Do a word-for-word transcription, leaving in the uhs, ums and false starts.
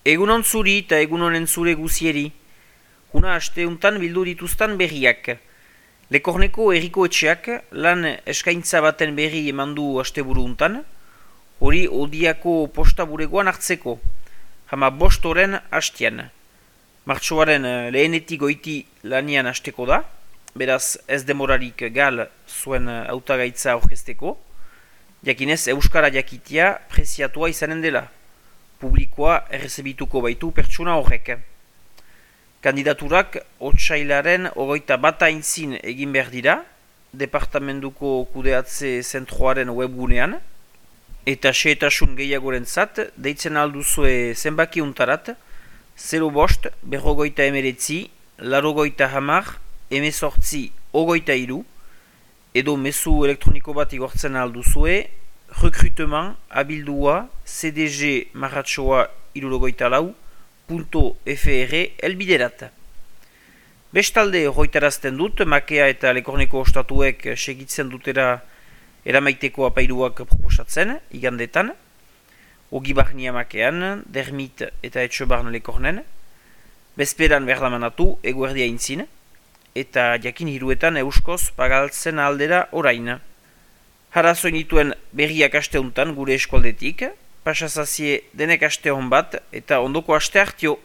Egunon zuri eta egunonen zure guzieri. Huna asteuntan bildu dituztan berriak. Lekorneko erriko etxeak lan eskaintza baten berri emandu asteburu untan, hori odiako posta buregoan hartzeko, hama bost oren hastian. Martxoaren lehenetik goiti lanian hasteko da, beraz ez demorarik gal zuen hautagaitza aurkezteko, jakinez euskara jakitia preziatua izanen dela. Publikoa errezebituko baitu pertsona horrek. Kandidaturak otsailaren ogoita bata intzin egin behar dira, departamentuko kudeatze zentroaren webgunean, eta xehetasun gehiagoren zat, deitzen alduzue zenbaki untarat, zero bost, berrogoita emeretzi, larogoita hamar, emezortzi, ogoita iru, edo mezu elektroniko bat igortzen alduzue, recrutement abildua cdg marratxoa irurogoita lau punto fr elbiderat. Bestalde hoitarazten dut, makea eta lekorneko ostatuek segitzen dutera eramaiteko apairuak proposatzen, igandetan, ogibarnia makean, dermit eta etxobarn lekornen, bezperan berdamanatu eguerdia intzin, eta jakin hiruetan euskoz pagaltzen aldera orain. Harazoin dituen berriak asteuntan gure eskualdetik, pasazazie denek aste hon bat eta ondoko aste hartio.